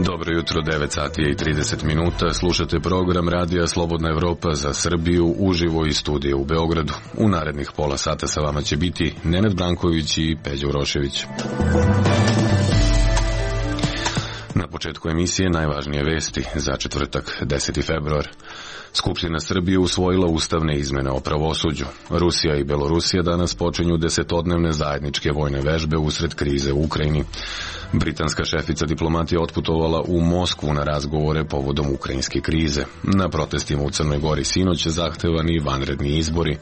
Dobro jutro, 9 sati i 30 minuta. Slušate program Radija Slobodna Evropa za Srbiju uživo iz studija u Beogradu. U narednih pola sata sa vama će biti Nenad Branković i Peđa Urošević. Na početku emisije najvažnije vesti za četvrtak, 10. februar. Skupština Srbije usvojila ustavne izmene o pravosuđu. Rusija i Belorusija danas počinju 10-dnevne zajedničke vojne vežbe usred krize u Ukrajini. Britanska šefica diplomatije otputovala u Moskvu na razgovore povodom ukrajinske krize. Na protestima u Crnoj Gori sinoć zahtevani vanredni izbori.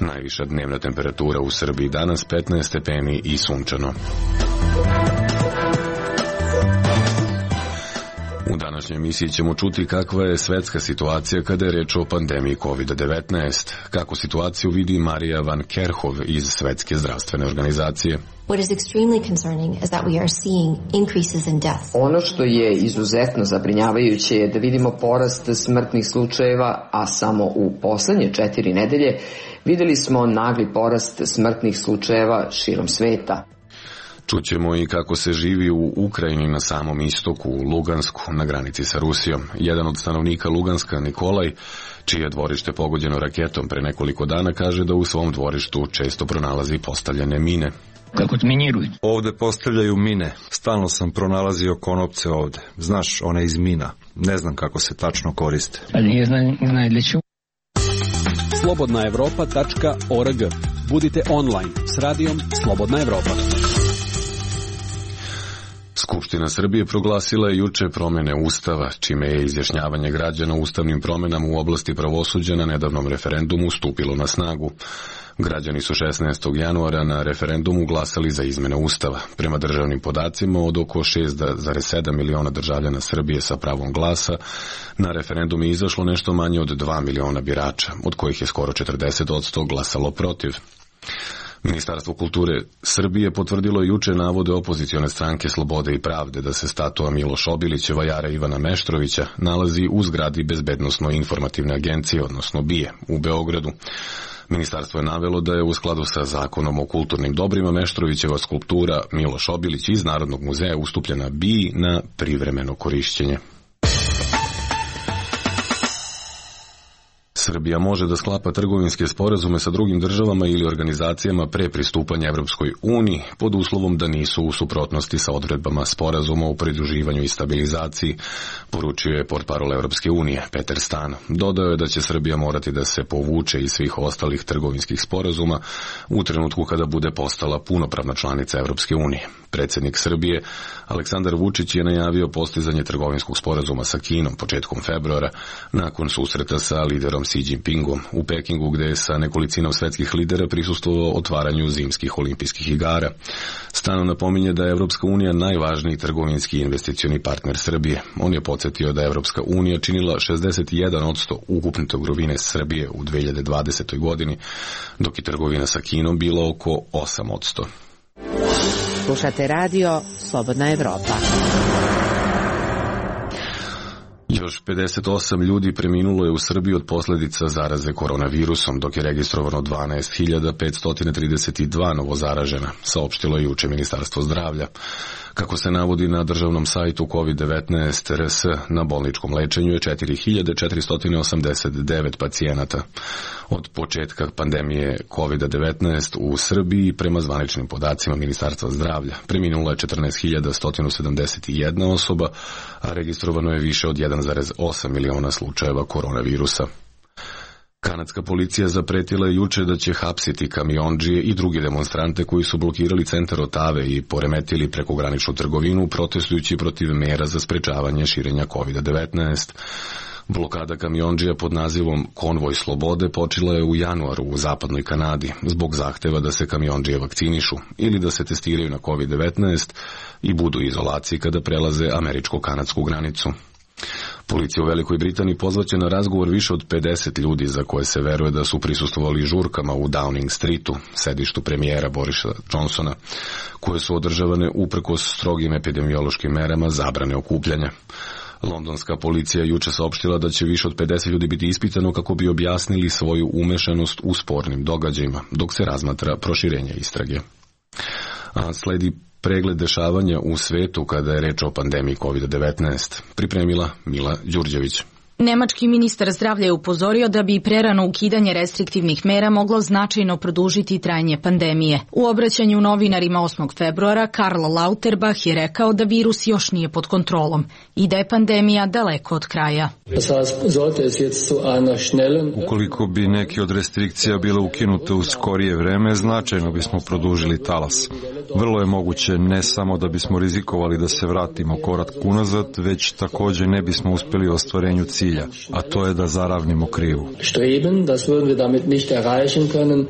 Najviša dnevna temperatura u Srbiji danas 15 stepeni i sunčano. U današnjoj emisiji ćemo čuti kakva je svetska situacija kada je reč o pandemiji COVID-19, kako situaciju vidi Marija van Kerhov iz Svetske zdravstvene organizacije. What is extremely concerning is that we are seeing increases in deaths. Ono što je izuzetno zabrinjavajuće je da vidimo porast smrtnih slučajeva, a samo u poslednje 4 nedelje videli smo nagli porast smrtnih slučajeva širom sveta. Čućemo i kako se živi u Ukrajini na samom istoku, u Lugansku, na granici sa Rusijom. Jedan od stanovnika Luganska, Nikolaj, čije je dvorište pogođeno raketom pre nekoliko dana, kaže da u svom dvorištu često pronalazi postavljene mine. Kako tminiruju? Ovde postavljaju mine. Stalno sam pronalazio konopce ovde. Znaš, one iz mina. Ne znam kako se tačno koriste. Ali ne znam для čega. slobodnaevropa.org. Budite online s radijom Slobodna Evropa. Skupština Srbije proglasila je juče promjene Ustava, čime je izjašnjavanje građana o ustavnim promjenama u oblasti pravosuđa na nedavnom referendumu stupilo na snagu. Građani su 16. januara na referendumu glasali za izmene Ustava. Prema državnim podacima, od oko 6,7 miliona državljana Srbije sa pravom glasa, na referendum je izašlo nešto manje od 2 miliona birača, od kojih je skoro 40% glasalo protiv. Ministarstvo kulture Srbije potvrdilo juče navode opozicione stranke Slobode i pravde da se statua Miloš Obilić, vajara Ivana Meštrovića, nalazi u zgradi Bezbednosno-informativne agencije, odnosno BIA, u Beogradu. Ministarstvo je navelo da je u skladu sa zakonom o kulturnim dobrima Meštrovićeva skulptura Miloš Obilić iz Narodnog muzeja ustupljena BIA na privremeno korišćenje. Srbija može da sklapa trgovinske sporazume sa drugim državama ili organizacijama pre pristupanja Evropskoj uniji pod uslovom da nisu u suprotnosti sa odredbama sporazuma o pridruživanju i stabilizaciji, poručio je portparol Evropske unije Peter Stan. Dodao je da će Srbija morati da se povuče iz svih ostalih trgovinskih sporazuma u trenutku kada bude postala punopravna članica Evropske unije. Predsjednik Srbije Aleksandar Vučić je najavio postizanje trgovinskog sporazuma sa Kinom početkom februara nakon susreta sa liderom Xi Jinpingom u Pekingu, gde je sa nekolicinom svetskih lidera prisustvovao otvaranju zimskih olimpijskih igara. Stano napominje da je Evropska unija najvažniji trgovinski i investicioni partner Srbije. On je podsjetio da je Evropska unija činila 61% ukupne trgovine Srbije u 2020. godini, dok je trgovina sa Kinom bila oko 8%. Slušate radio Slobodna Evropa. Još 58 ljudi preminulo je u Srbiji od posljedica zaraze koronavirusom, dok je registrovano 12.532 novozaražena, saopštilo je juče Ministarstvo zdravlja. Kako se navodi na državnom sajtu COVID-19 RS, na bolničkom lečenju je 4.489 pacijenata. Od početka pandemije COVID-19 u Srbiji, prema zvaničnim podacima Ministarstva zdravlja, preminula je 14.171 osoba, a registrovano je više od 1,8 miliona slučajeva koronavirusa. Kanadska policija zapretila je juče da će hapsiti kamiondžije i druge demonstrante koji su blokirali centar Otave i poremetili prekograničnu trgovinu protestujući protiv mera za sprečavanje širenja COVID-19. Blokada kamiondžija pod nazivom Konvoj slobode počela je u januaru u zapadnoj Kanadi zbog zahteva da se kamiondžije vakcinišu ili da se testiraju na COVID-19 i budu u izolaciji kada prelaze američko-kanadsku granicu. Policija u Velikoj Britaniji pozvaće na razgovor više od 50 ljudi za koje se veruje da su prisustvovali žurkama u Downing Streetu, sedištu premijera Borisa Johnsona, koje su održavane uprkos strogim epidemiološkim merama zabrane okupljanja. Londonska policija juče saopštila da će više od 50 ljudi biti ispitano kako bi objasnili svoju umešanost u spornim događajima, dok se razmatra proširenje istrage. A sledi pregled dešavanja u svetu kada je reč o pandemiji COVID-19, pripremila Mila Đurđević. Nemački ministar zdravlja je upozorio da bi prerano ukidanje restriktivnih mera moglo značajno produžiti trajanje pandemije. U obraćanju novinarima 8. februara Karl Lauterbach je rekao da virus još nije pod kontrolom i da je pandemija daleko od kraja. Ukoliko bi neke od restrikcija bile ukinute u skorije vreme, značajno bismo produžili talas. Vrlo je moguće ne samo da bismo rizikovali da se vratimo korak unazad, već također ne bismo uspjeli u ostvarenju cilja, a to je da zaravnimo krivu.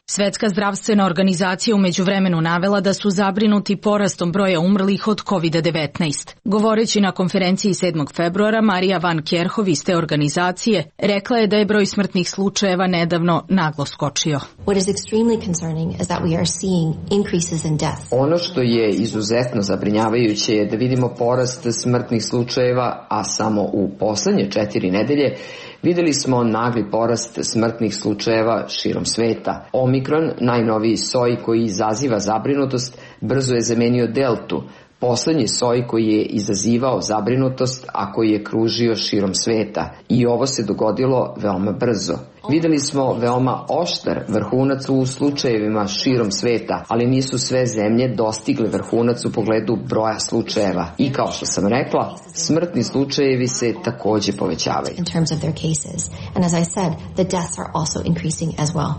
Svetska zdravstvena organizacija u međuvremenu navela da su zabrinuti porastom broja umrlih od COVID-19. Govoreći na konferenciji 7. februara, Marija van Kerhov iz te organizacije rekla je da je broj smrtnih slučajeva nedavno naglo skočio. What is extremely concerning is that we are seeing increases in death. Ono što je izuzetno zabrinjavajuće je da vidimo porast smrtnih slučajeva, a samo u poslednje 4 nedelje videli smo nagli porast smrtnih slučajeva širom sveta. Omikron, najnoviji soj koji izaziva zabrinutost, brzo je zamenio deltu, poslednji soj koji je izazivao zabrinutost, a koji je kružio širom sveta. I ovo se dogodilo veoma brzo. Videli smo veoma oštar vrhunac u slučajevima širom sveta, ali nisu sve zemlje dostigle vrhunac u pogledu broja slučajeva. I kao što sam rekla, smrtni slučajevi se takođe povećavaju.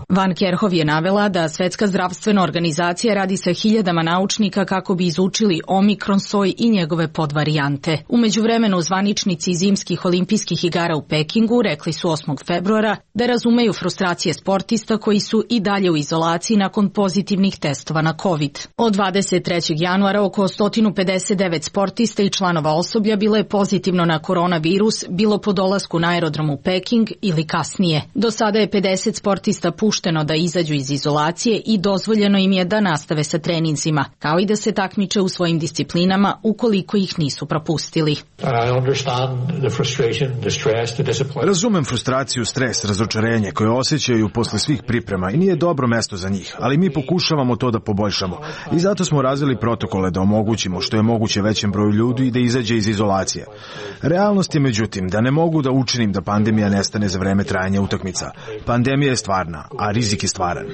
Van Kerhov je navela da Svetska zdravstvena organizacija radi sa hiljadama naučnika kako bi izučili omikron soj i njegove podvarijante. U međuvremenu zvaničnici zimskih olimpijskih igara u Pekingu rekli su 8. februara da razumeju frustracije sportista koji su i dalje u izolaciji nakon pozitivnih testova na COVID. Od 23. januara oko 159 sportista i članova osoblja bilo je pozitivno na koronavirus, bilo po dolasku na aerodrom u Peking ili kasnije. Do sada je 50 sportista pušteno da izađu iz izolacije i dozvoljeno im je da nastave sa treninzima, kao i da se takmiče u svojim disciplinama ukoliko ih nisu propustili. Razumem frustraciju, stres, razočarenje koje osjećaju posle svih priprema i nije dobro mesto za njih, ali mi pokušavamo to da poboljšamo i zato smo razvili protokole da omogućimo što je moguće većem broju ljudi i da izađe iz izolacije. Realnost je međutim da ne mogu da učinim da pandemija nestane za vreme trajanja utakmica. Pandemija je stvarna, a rizik je stvaran.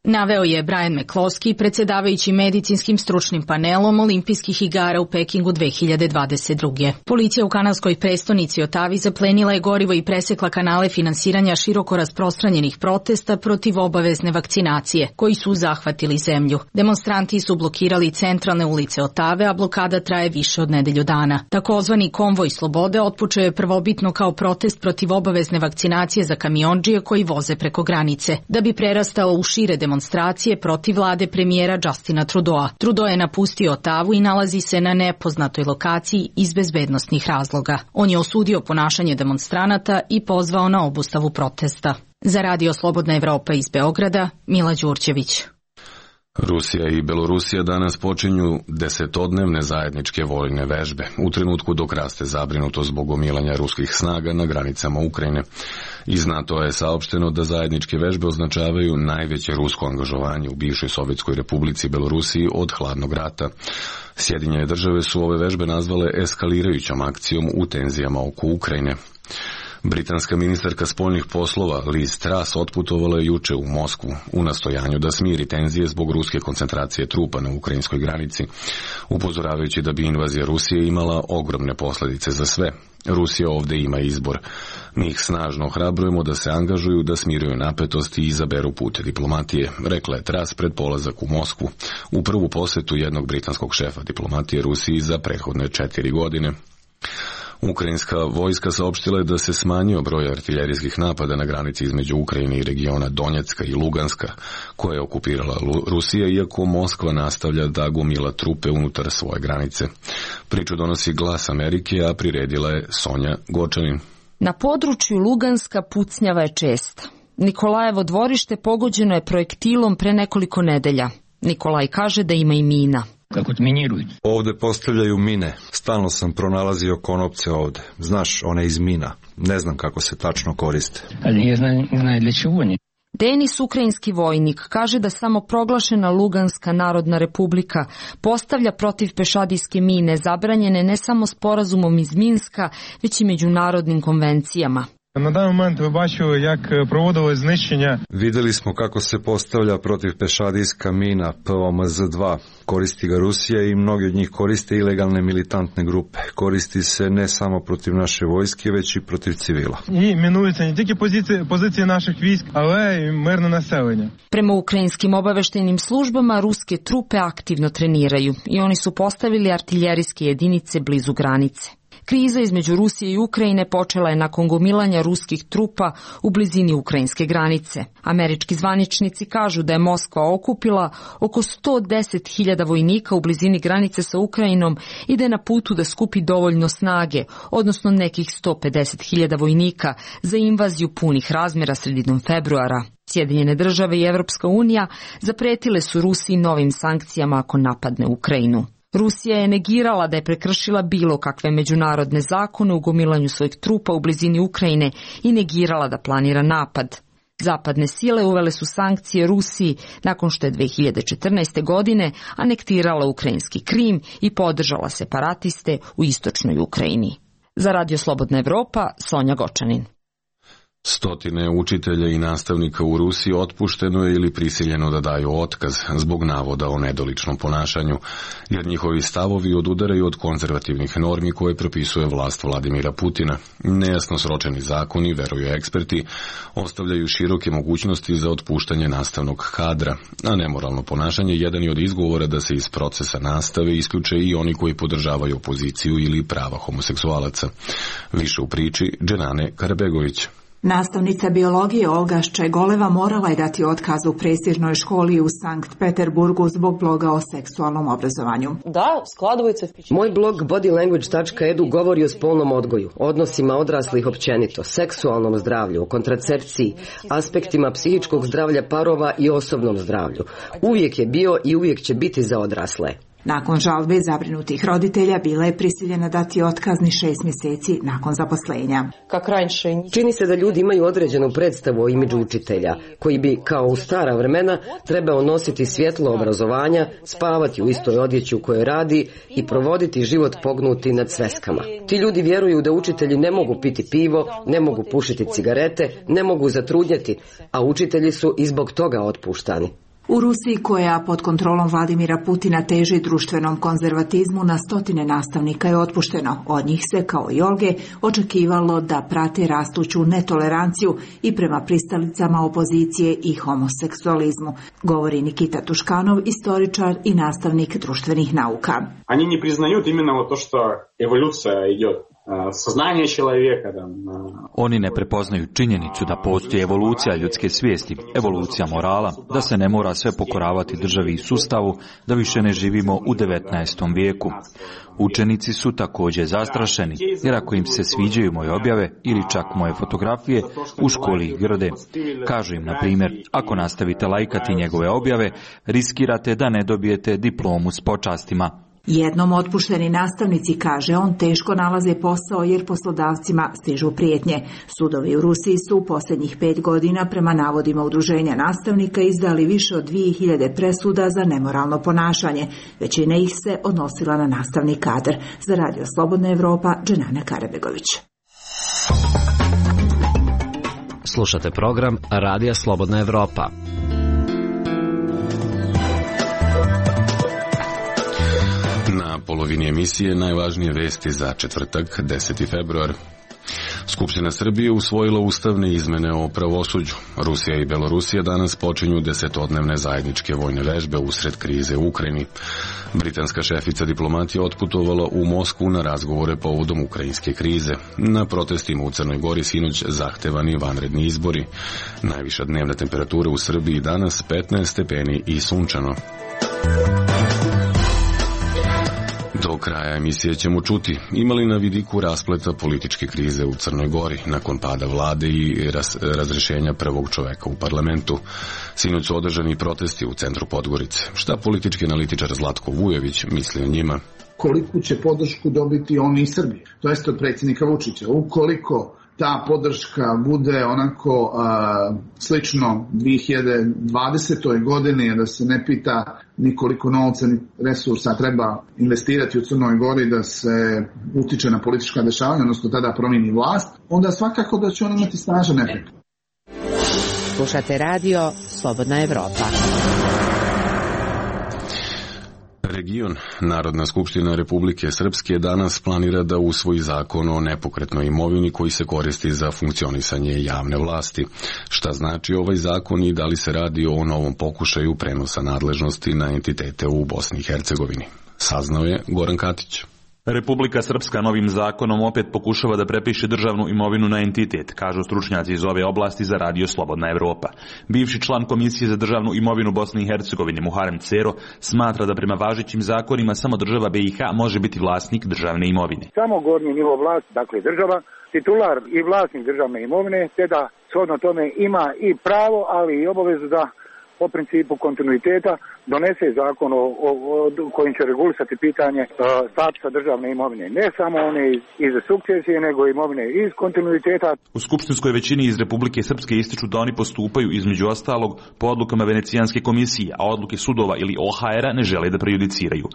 Naveo je Brian McCloskey, predsjedavajući medicinskim stručnim panelom Olimpijskih igara u Pekingu 2022. Policija u kanadskoj prestonici Otavi zaplenila je gorivo i presekla kanale finansiranja široko rasprostranjenih protesta protiv obavezne vakcinacije, koji su zahvatili zemlju. Demonstranti su blokirali centralne ulice Otave, a blokada traje više od nedelju dana. Takozvani konvoj slobode otpočeo je prvobitno kao protest protiv obavezne vakcinacije za kamiondžije koji voze preko granice, da bi prerastao u šire demonstracije protiv vlade premijera Justina Trudeau. Trudeau je napustio Otavu i nalazi se na nepoznatoj lokaciji iz bezbednosnih razloga. On je osudio ponašanje demonstranata i pozvao na obustavu protesta. Za Radio Slobodna Evropa iz Beograda, Mila Đurđević. Rusija i Belorusija danas počinju 10-dnevne zajedničke vojne vežbe, u trenutku dok raste zabrinutost zbog gomilanja ruskih snaga na granicama Ukrajine. Iz NATO je saopšteno da zajedničke vežbe označavaju najveće rusko angažovanje u bivšoj Sovjetskoj republici Belorusiji od hladnog rata. Sjedinjene države su ove vežbe nazvale eskalirajućom akcijom u tenzijama oko Ukrajine. Britanska ministarka spoljnih poslova Liz Truss otputovala je juče u Moskvu u nastojanju da smiri tenzije zbog ruske koncentracije trupa na ukrajinskoj granici, upozoravajući da bi invazija Rusije imala ogromne posljedice za sve. Rusija ovdje ima izbor. Mi ih snažno ohrabrujemo da se angažuju, da smiruju napetosti i izaberu put diplomatije, rekla je Truss pred polazak u Moskvu, u prvu posjetu jednog britanskog šefa diplomatije Rusiji za prethodne 4 godine. Ukrajinska vojska saopštila je da se smanjio broj artiljerijskih napada na granici između Ukrajine i regiona Donjecka i Luganska, koje je okupirala Rusija, iako Moskva nastavlja da gomila trupe unutar svoje granice. Priču donosi Glas Amerike, a priredila je Sonja Gočanin. Na području Luganska pucnjava je česta. Nikolajevo dvorište pogođeno je projektilom pre nekoliko nedelja. Nikolaj kaže da ima i mina. Kako odminiruju. Ovde postavljaju mine. Stalno sam pronalazio konopce ovde. Znaš, one iz mina. Ne znam kako se tačno koriste. Ali ne znaju dla čего oni. Denis, ukrajinski vojnik, kaže da samo proglašena Luganska narodna republika postavlja protiv pešadijske mine zabranjene ne samo sporazumom iz Minska, već i međunarodnim konvencijama. На даний момент ви бачили, як проводили знищення. Videli smo kako se postavlja protivpešadijska mina POMZ-2. Koristi ga Rusija i mnogi od njih koriste ilegalne militantne grupe. Koristi se ne samo protiv naše vojske, već i protiv civila. І мінуються не тільки позиції наших військ, але й мирне населення. Prema ukrajinskim obaveštajnim službama, ruske trupe aktivno treniraju i oni su postavili artiljerijske jedinice blizu granice. Kriza između Rusije i Ukrajine počela je nakon gomilanja ruskih trupa u blizini ukrajinske granice. Američki zvaničnici kažu da je Moskva okupila oko 110.000 vojnika u blizini granice sa Ukrajinom i da je na putu da skupi dovoljno snage, odnosno nekih 150.000 vojnika za invaziju punih razmjera sredinom februara. Sjedinjene države i Evropska unija zapretile su Rusiji novim sankcijama ako napadne Ukrajinu. Rusija je negirala da je prekršila bilo kakve međunarodne zakone u gomilanju svojih trupa u blizini Ukrajine i negirala da planira napad. Zapadne sile uvele su sankcije Rusiji nakon što je 2014. godine anektirala ukrajinski Krim i podržala separatiste u istočnoj Ukrajini. Za Radio Slobodna Evropa, Sonja Gočanin. Stotine učitelja i nastavnika u Rusiji otpušteno je ili prisiljeno da daju otkaz zbog navoda o nedoličnom ponašanju, jer njihovi stavovi odudaraju od konzervativnih normi koje propisuje vlast Vladimira Putina. Nejasno sročeni zakoni, veruju eksperti, ostavljaju široke mogućnosti za otpuštanje nastavnog kadra, a nemoralno ponašanje jedan je od izgovora da se iz procesa nastave isključe i oni koji podržavaju opoziciju ili prava homoseksualaca. Više u priči Dženane Karabegović. Nastavnica biologije Olga Ščegoleva morala je dati otkaz u prestižnoj školi u Sankt Peterburgu zbog bloga o seksualnom obrazovanju. Moj blog bodylanguage.edu govori o spolnom odgoju, odnosima odraslih općenito, seksualnom zdravlju, o kontracepciji, aspektima psihičkog zdravlja parova i osobnom zdravlju. Uvijek je bio i uvijek će biti za odrasle. Nakon žalbe zabrinutih roditelja bila je prisiljena dati otkazni 6 mjeseci nakon zaposlenja. Čini se da ljudi imaju određenu predstavu o imidžu učitelja, koji bi, kao u stara vremena, trebao nositi svjetlo obrazovanja, spavati u istoj odjeći u kojoj radi i provoditi život pognuti nad sveskama. Ti ljudi vjeruju da učitelji ne mogu piti pivo, ne mogu pušiti cigarete, ne mogu zatrudnjeti, a učitelji su i zbog toga otpuštani. U Rusiji, koja pod kontrolom Vladimira Putina teži društvenom konzervatizmu, na stotine nastavnika je otpušteno. Od njih se, kao i Olge, očekivalo da prate rastuću netoleranciju i prema pristalicama opozicije i homoseksualizmu, govori Nikita Tuškanov, istoričar i nastavnik društvenih nauka. Они не признают именно то, что эволюция идет. Oni ne prepoznaju činjenicu da postoji evolucija ljudske svijesti, evolucija morala, da se ne mora sve pokoravati državi i sustavu, da više ne živimo u 19. vijeku. Učenici su također zastrašeni, jer ako im se sviđaju moje objave ili čak moje fotografije, u školi ih grde. Kažu im, na primjer, ako nastavite lajkati njegove objave, riskirate da ne dobijete diplomu s počastima. Jednom otpušteni nastavnici, kaže on, teško nalaze posao jer poslodavcima stižu prijetnje. Sudovi u Rusiji su u posljednjih 5 godina prema navodima udruženja nastavnika izdali više od 2000 presuda za nemoralno ponašanje. Većina ih se odnosila na nastavni kadar. Za Radio Slobodna Evropa, Dženana Karabegović. Slušate program Radija Slobodna Evropa. Na polovini emisije najvažnije vesti za četvrtak, 10. februar. Skupština Srbije usvojila ustavne izmene o pravosuđu. Rusija i Belorusija danas počinju 10-dnevne zajedničke vojne vežbe usred krize u Ukrajini. Britanska šefica diplomatije otputovala u Moskvu na razgovore povodom ukrajinske krize. Na protestima u Crnoj Gori sinoć zahtevani vanredni izbori. Najviša dnevna temperatura u Srbiji danas 15 stepeni i sunčano. Do kraja emisije ćemo čuti imali na vidiku raspleta političke krize u Crnoj Gori nakon pada vlade i razrešenja prvog čoveka u parlamentu. Sinoć su održani protesti u centru Podgorice. Šta politički analitičar Zlatko Vujović misli o njima? Koliku će podršku dobiti oni iz Srbije, to jest od predsjednika Vučića. Ukoliko ta podrška bude onako slično 2020. godini, da se ne pita ni koliko novca ni resursa treba investirati u Crnoj Gori da se utiče na politička dešavanja, odnosno tada promijeni vlast, onda svakako da će on imati snažan efekt. Slušate radio Slobodna Evropa. Region Narodna skupština Republike Srpske danas planira da usvoji zakon o nepokretnoj imovini koji se koristi za funkcionisanje javne vlasti. Šta znači ovaj zakon i da li se radi o novom pokušaju prenosa nadležnosti na entitete u Bosni i Hercegovini? Saznao je Goran Katić. Republika Srpska novim zakonom opet pokušava da prepiše državnu imovinu na entitet, kažu stručnjaci iz ove oblasti za radio Slobodna Evropa. Bivši član Komisije za državnu imovinu Bosne i Hercegovine Muharem Cero smatra da prema važećim zakonima samo država BiH može biti vlasnik državne imovine. Samo gornji nivo vlasti, dakle država, titular i vlasnik državne imovine, te da shodno tome ima i pravo, ali i obavezu da po principu kontinuiteta donese zakon kojim će regulisati pitanje statusa državne imovine. Ne samo one iz sukcesije, nego imovine iz kontinuiteta. U skupštinskoj većini iz Republike Srpske ističu da oni postupaju između ostalog po odlukama Venecijanske komisije, a odluke sudova ili OHR-a ne žele da prejudiciraju.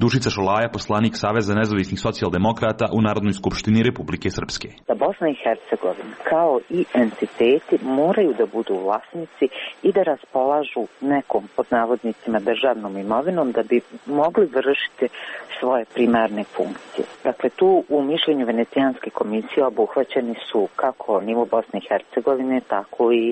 Dušica Šolaja, poslanik Saveza nezavisnih socijaldemokrata u Narodnoj skupštini Republike Srpske. Da Bosna i Hercegovina kao i entiteti moraju da budu vlasnici i da raspolažu nekom pod navodnicima državnom imovinom da bi mogli vršiti svoje primarne funkcije. Dakle, tu u mišljenju Venecijanske komisije obuhvaćeni su kako nivo Bosne i Hercegovine, tako i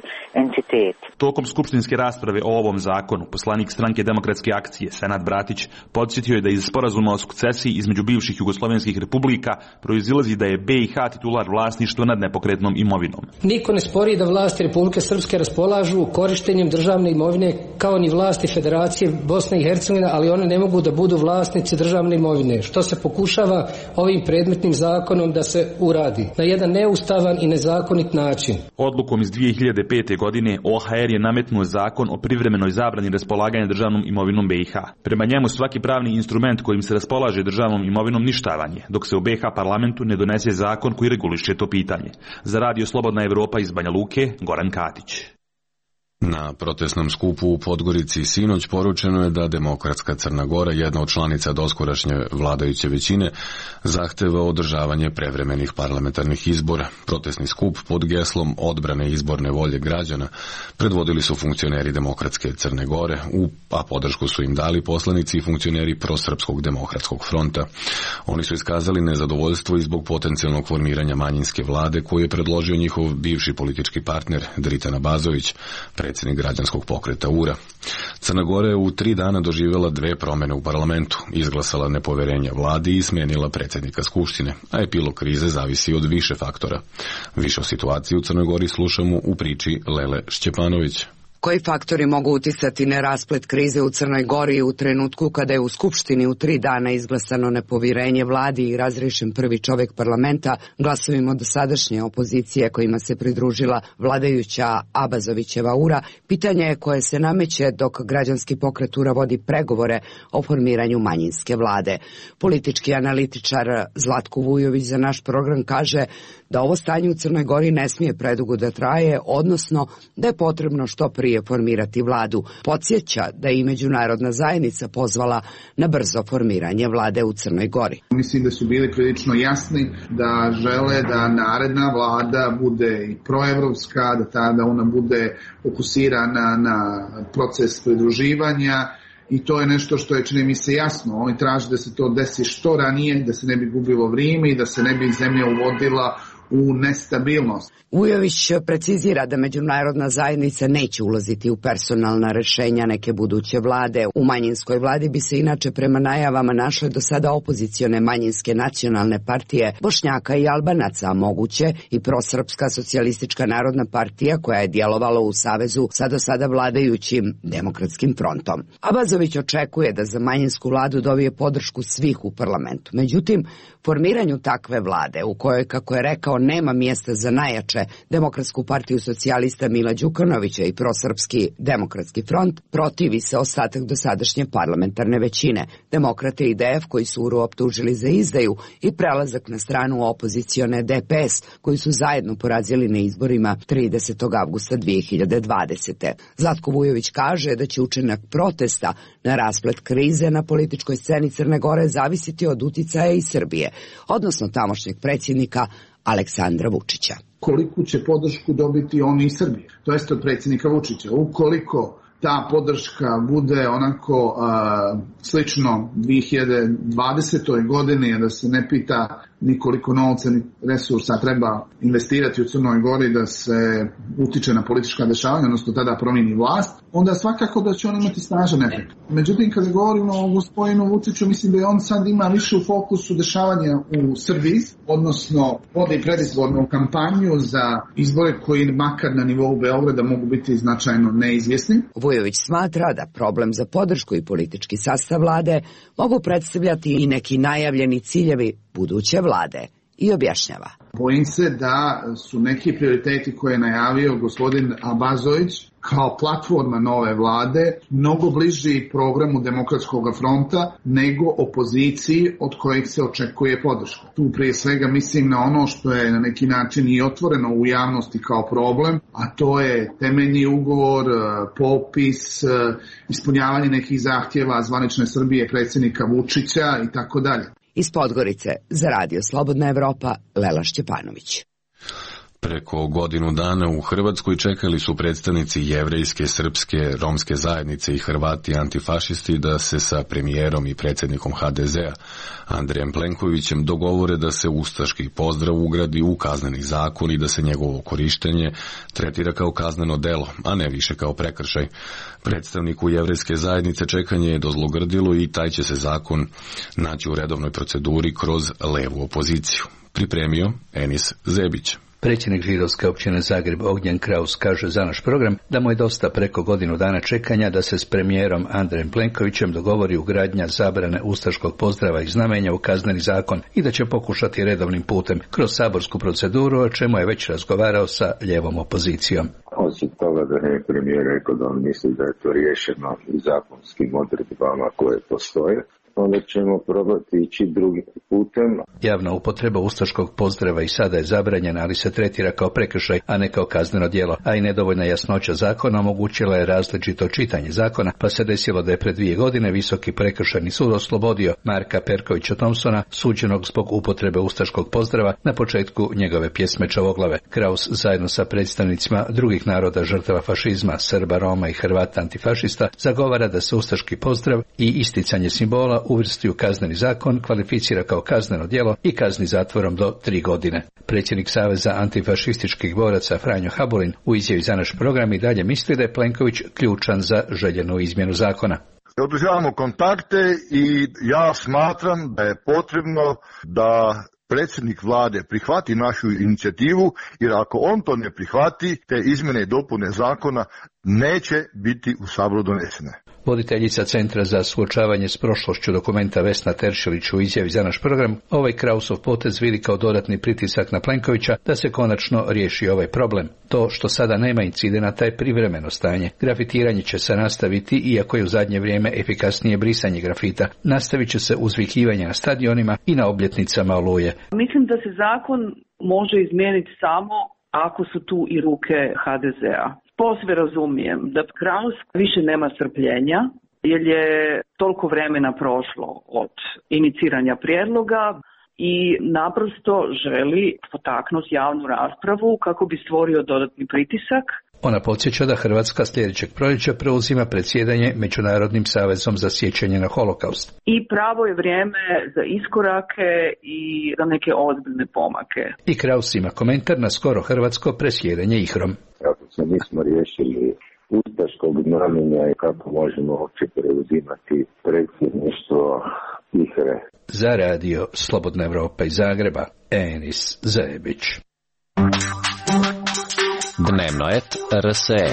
entiteti. Tokom skupštinske rasprave o ovom zakonu, poslanik Stranke demokratske akcije Senad Bratić podsjetio je da iz sporazuma o sukcesiji između bivših jugoslovenskih republika proizilazi da je BiH titular vlasništva nad nepokretnom imovinom. Niko ne spori da vlasti Republike Srpske raspolažu korištenjem državne imovine kao ni vlasti Federacije Bosne i Hercegovine, ali one ne mogu da budu vlasnici državne imovine, što se pokušava ovim predmetnim zakonom da se uradi na jedan neustavan i nezakonit način. Odlukom iz 2005. godine OHR je nametnuo zakon o privremenoj zabrani raspolaganja državnom imovinom BiH. Prema njemu svaki pravni instrument kojim se raspolaže državnom imovinom ništavan je, dok se u BiH parlamentu ne donese zakon koji reguliše to pitanje. Za radio Slobodna Evropa iz Banja Luke, Goran Katić. Na protestnom skupu u Podgorici sinoć poručeno je da Demokratska Crna Gora, jedna od članica doskorašnje vladajuće većine, zahteva održavanje prevremenih parlamentarnih izbora. Protestni skup pod geslom odbrane izborne volje građana predvodili su funkcioneri Demokratske Crne Gore, a podršku su im dali poslanici i funkcioneri Prosrpskog demokratskog fronta. Oni su iskazali nezadovoljstvo i zbog potencijalnog formiranja manjinske vlade koju je predložio njihov bivši politički partner Dritan Abazović, predsjednik građanskog pokreta URA. Crna Gora je u 3 dana doživjela 2 promjene u parlamentu, izglasala nepoverenje vladi i smenila predsjednika skupštine, a epilog krize zavisi od više faktora. Više o situaciji u Crnoj Gori slušamo u priči Lele Šćepanović. Koji faktori mogu uticati na rasplet krize u Crnoj Gori u trenutku kada je u Skupštini u 3 dana izglasano nepovjerenje vladi i razriješen prvi čovjek parlamenta glasovima dosadašnje opozicije kojima se pridružila vladajuća Abazovićeva URA, pitanje je koje se nameće dok građanski pokret URA vodi pregovore o formiranju manjinske vlade. Politički analitičar Zlatko Vujović za naš program kaže da ovo stanje u Crnoj Gori ne smije predugo da traje, odnosno da je potrebno što prije formirati vladu. Podsjeća da je i međunarodna zajednica pozvala na brzo formiranje vlade u Crnoj Gori. Mislim da su bili prilično jasni da žele da naredna vlada bude i proevropska, da tada ona bude fokusirana na proces pridruživanja. I to je nešto što je, čini mi se, jasno. Oni traže da se to desi što ranije, da se ne bi gubilo vrijeme i da se ne bi zemlja uvodila u nestabilnost. Vujović precizira da međunarodna zajednica neće ulaziti u personalna rešenja neke buduće vlade. U manjinskoj vladi bi se inače prema najavama našle do sada opozicione manjinske nacionalne partije Bošnjaka i Albanaca, a moguće i prosrpska socijalistička narodna partija koja je djelovala u savezu sa do sada vladajućim Demokratskim frontom. Abazović očekuje da za manjinsku vladu dobije podršku svih u parlamentu. Međutim, formiranju takve vlade, u kojoj, kako je rekao, nema mjesta za najjače Demokratsku partiju socijalista Mila Đukanovića i prosrpski Demokratski front, protivi se ostatak dosadašnje parlamentarne većine. Demokrate i DF koji su URU optužili za izdaju i prelazak na stranu opozicione DPS koji su zajedno porazili na izborima 30. avgusta 2020. Zlatko Vujović kaže da će učinak protesta na rasplet krize na političkoj sceni Crne Gore zavisiti od uticaja iz Srbije, odnosno tamošnjeg predsjednika Aleksandra Vučića. Koliku će podršku dobiti oni iz Srbije, to jest od predsjednika Vučića. Ukoliko ta podrška bude onako slično 2020. godini, da se ne pita ni koliko novca ni resursa treba investirati u Crnoj Gori da se utiče na politička dešavanja, odnosno tada promijeni vlast, onda svakako da će on imati snažan efekt. Međutim, kada govorimo o gospodinu Vučiću, mislim da je on sad ima više u fokusu dešavanja u Srbiji, odnosno vodi predizbornu kampanju za izbore koji makar na nivou Beograda mogu biti značajno neizvjesni. Vujović smatra da problem za podršku i politički sastav vlade mogu predstavljati i neki najavljeni ciljevi buduće vlade i objašnjava. Bojim se da su neki prioriteti koje je najavio gospodin Abazović kao platforma nove vlade mnogo bliži programu Demokratskog fronta nego opoziciji od kojeg se očekuje podrška. Tu prije svega mislim na ono što je na neki način i otvoreno u javnosti kao problem, a to je temeljni ugovor, popis, ispunjavanje nekih zahtjeva zvanične Srbije, predsjednika Vučića i tako dalje. Iz Podgorice za Radio Slobodna Evropa, Lela Šćepanović. Preko godinu dana u Hrvatskoj čekali su predstavnici jevrejske, srpske, romske zajednice i Hrvati antifašisti da se sa premijerom i predsjednikom HDZ-a Andrejem Plenkovićem dogovore da se ustaški pozdrav ugradi u kazneni zakon i da se njegovo korištenje tretira kao kazneno delo, a ne više kao prekršaj. Predstavniku jevrejske zajednice čekanje je dozlogrdilo i taj će se zakon naći u redovnoj proceduri kroz levu opoziciju. Pripremio Enis Zebić. Predsjednik židovske općine Zagreb Ognjen Kraus kaže za naš program da mu je dosta preko godinu dana čekanja da se s premijerom Andrejem Plenkovićem dogovori ugradnja zabrane ustaškog pozdrava i znamenja u kazneni zakon i da će pokušati redovnim putem kroz saborsku proceduru, o čemu je već razgovarao sa lijevom opozicijom. Osim toga da je premijer rekao da on misli da je to riješeno i zakonskim odredbama koje postoje, onda ćemo probati ići drugim putem. Javna upotreba ustaškog pozdrava i sada je zabranjena, ali se tretira kao prekršaj, a ne kao kazneno djelo, a i nedovoljna jasnoća zakona omogućila je različito čitanje zakona, pa se desilo da je pred 2 godine Visoki prekršajni sud oslobodio Marka Perkovića Thompsona, suđenog zbog upotrebe ustaškog pozdrava na početku njegove pjesme Čavoglave. Kraus zajedno sa predstavnicima drugih naroda žrtava fašizma, Srba, Roma i Hrvata antifašista zagovara da se ustaški pozdrav i isticanje simbola uvrsti u kazneni zakon, kvalificira kao kazneno djelo i kazni zatvorom do 3 godine. Predsjednik Saveza antifašističkih boraca Franjo Habulin u izjavi za naš program i dalje misli da je Plenković ključan za željenu izmjenu zakona. Održavamo kontakte i ja smatram da je potrebno da predsjednik vlade prihvati našu inicijativu, jer ako on to ne prihvati, te izmjene i dopune zakona neće biti u Saboru donesene. Voditeljica Centra za suočavanje s prošlošću Dokumenta Vesna Teršelić u izjavi za naš program ovaj Krausov potez vidi kao dodatni pritisak na Plenkovića da se konačno riješi ovaj problem. To što sada nema incidenata je privremeno stanje. Grafitiranje će se nastaviti, iako je u zadnje vrijeme efikasnije brisanje grafita. Nastavit će se uzvikivanje na stadionima i na obljetnicama Oluje. Mislim da se zakon može izmijeniti samo ako su tu i ruke HDZ-a. Posve razumijem da Kraus više nema strpljenja, jer je toliko vremena prošlo od iniciranja prijedloga i naprosto želi potaknuti javnu raspravu kako bi stvorio dodatni pritisak. Ona podsjeća da Hrvatska sljedećeg proljeća preuzima predsjedanje Međunarodnim savezom za sjećanje na holokaust. I pravo je vrijeme za iskorake i za neke ozbiljne pomake. I Kraus ima komentar na skoro hrvatsko predsjedanje IHRA-om. Kako se nismo riješili ustaškog znamenja i kako možemo uopće preuzimati predsjedništvo IHRA-e. Za radio Slobodna Evropa iz Zagreba, Enis Zajebić. Dnevno et RSE.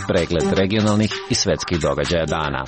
Pregled regionalnih i svetskih događaja dana.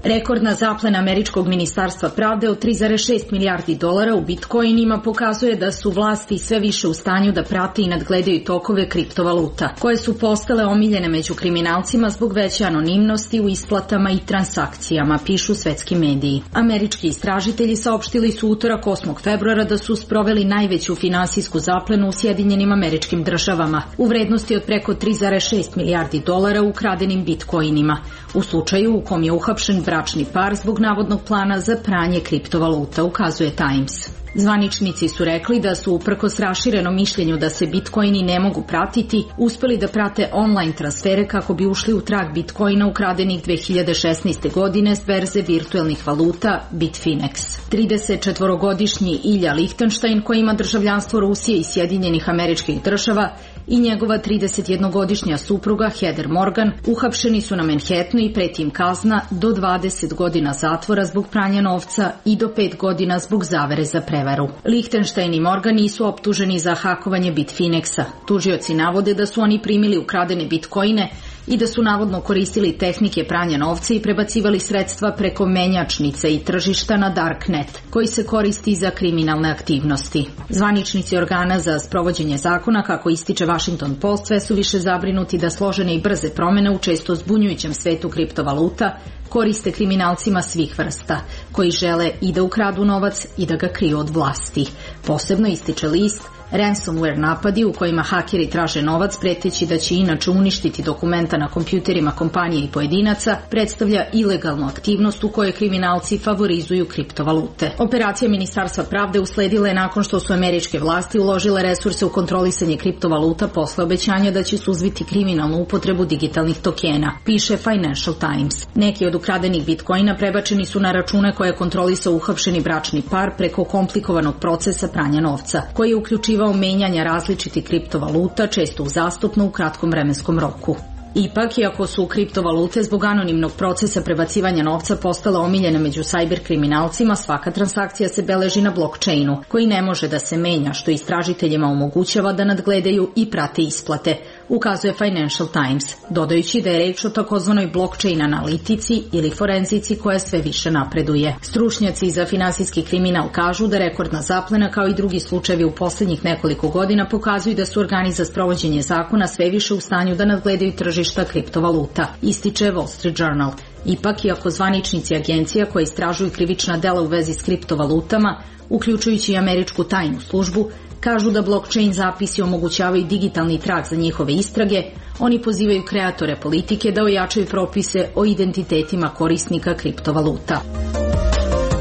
Rekordna zaplena američkog ministarstva pravde od $3,6 milijardi u bitcoinima pokazuje da su vlasti sve više u stanju da prate i nadgledaju tokove kriptovaluta, koje su postale omiljene među kriminalcima zbog veće anonimnosti u isplatama i transakcijama, pišu svetski mediji. Američki istražitelji saopštili su utorak 8. februara da su sproveli najveću finansijsku zaplenu u Sjedinjenim Američkim Državama u vrednosti od preko $3,6 milijardi ukradenim bitcoinima, u slučaju u kom je uhapšen bračni par zbog navodnog plana za pranje kriptovaluta, ukazuje Times. Zvaničnici su rekli da su, uprkos raširenom mišljenju da se bitcoini ne mogu pratiti, uspeli da prate online transfere kako bi ušli u trag bitcoina ukradenih 2016. godine s berze virtuelnih valuta Bitfinex. 34-godišnji Ilja Lichtenstein, koji ima državljanstvo Rusije i Sjedinjenih Američkih Država, i njegova 31-godišnja supruga Heather Morgan uhapšeni su na Manhattanu i preti im kazna do 20 godina zatvora zbog pranja novca i do 5 godina zbog zavere za prevaru. Lichtenstein i Morgan nisu optuženi za hakovanje Bitfinexa. Tužioci navode da su oni primili ukradene bitcoine i da su navodno koristili tehnike pranja novca i prebacivali sredstva preko menjačnice i tržišta na Darknet, koji se koristi za kriminalne aktivnosti. Zvaničnici organa za sprovođenje zakona, kako ističe Washington Post, sve su više zabrinuti da složene i brze promene u često zbunjujućem svetu kriptovaluta koriste kriminalcima svih vrsta, koji žele i da ukradu novac i da ga kriju od vlasti. Posebno, ističe list, ransomware napadi u kojima hakeri traže novac preteći da će inače uništiti dokumenta na kompjuterima kompanije i pojedinaca predstavlja ilegalnu aktivnost u kojoj kriminalci favorizuju kriptovalute. Operacija Ministarstva pravde usledila je nakon što su američke vlasti uložile resurse u kontrolisanje kriptovaluta posle obećanja da će suzbiti kriminalnu upotrebu digitalnih tokena, piše Financial Times. Neki od ukradenih bitcoina prebačeni su na račune koje je kontrolisao uhapšeni bračni par preko komplikovanog procesa pranja novca, koji je uključivao menjanja različitih kriptovaluta, često uzastopno u kratkom vremenskom roku. Ipak, iako su kriptovalute zbog anonimnog procesa prebacivanja novca postale omiljene među sajber kriminalcima, svaka transakcija se beleži na blockchainu, koji ne može da se menja, što istražiteljima omogućava da nadgledaju i prate isplate, ukazuje Financial Times, dodajući da je reč o takozvanoj blockchain analitici ili forenzici koja sve više napreduje. Stručnjaci za finansijski kriminal kažu da rekordna zaplena, kao i drugi slučajevi u posljednjih nekoliko godina, pokazuju da su organi za sprovođenje zakona sve više u stanju da nadgledaju tržišta kriptovaluta, ističe Wall Street Journal. Ipak, iako zvaničnici agencija koje istražuju krivična dela u vezi s kriptovalutama, uključujući i američku tajnu službu, kažu da blockchain zapisi omogućavaju digitalni trag za njihove istrage, oni pozivaju kreatore politike da ojačaju propise o identitetima korisnika kriptovaluta.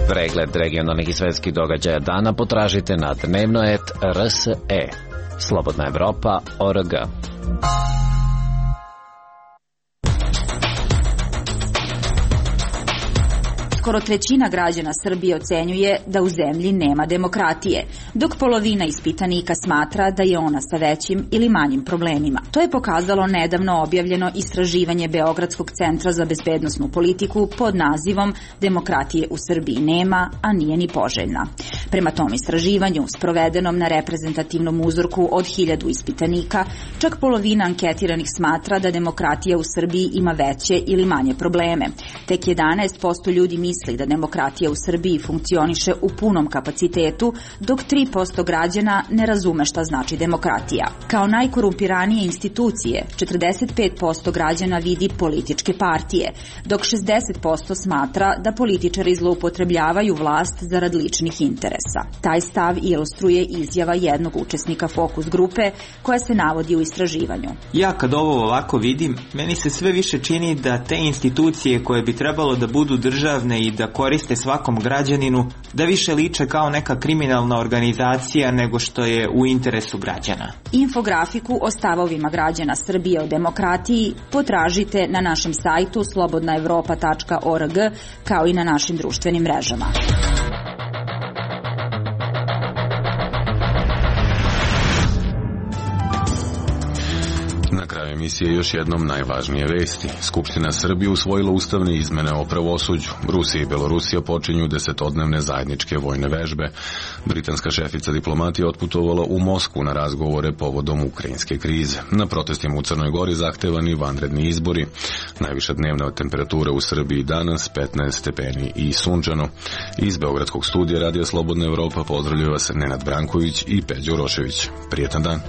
Pregled regionalnih i svetskih događaja dana potražite na dnevnoet.rse. Slobodna Evropa.org. Skoro trećina građana Srbije ocenjuje da u zemlji nema demokratije, dok polovina ispitanika smatra da je ona sa većim ili manjim problemima. To je pokazalo nedavno objavljeno istraživanje Beogradskog centra za bezbednosnu politiku pod nazivom Demokratije u Srbiji nema, a nije ni poželjna. Prema tom istraživanju, sprovedenom na reprezentativnom uzorku od 1000 ispitanika, čak polovina anketiranih smatra da demokratija u Srbiji ima veće ili manje probleme. Tek 11% ljudi misli da demokratija u Srbiji funkcioniše u punom kapacitetu, dok 3% građana ne razume šta znači demokratija. Kao najkorumpiranije institucije, 45% građana vidi političke partije, dok 60% smatra da političari zloupotrebljavaju vlast zarad ličnih interesa. Taj stav ilustruje izjava jednog učesnika fokus grupe koja se navodi u istraživanju. Ja kad ovo ovako vidim, meni se sve više čini da te institucije koje bi trebalo da budu državne i da koriste svakom građaninu, da više liče kao neka kriminalna organizacija nego što je u interesu građana. Infografiku o stavovima građana Srbije o demokratiji potražite na našem sajtu slobodnaevropa.org kao i na našim društvenim mrežama. Na kraju emisije još jednom najvažnije vesti. Skupština Srbije usvojila ustavne izmene o pravosuđu. Rusija i Belorusija počinju 10-dnevne zajedničke vojne vežbe. Britanska šefica diplomatije otputovala u Moskvu na razgovore povodom ukrajinske krize. Na protestima u Crnoj Gori zahtevani vanredni izbori. Najviša dnevna temperatura u Srbiji danas 15 stepeni i sunčano. Iz Beogradskog studija Radija Slobodna Evropa pozdravljaju vas Nenad Branković i Peđa Urošević. Prijetan dan.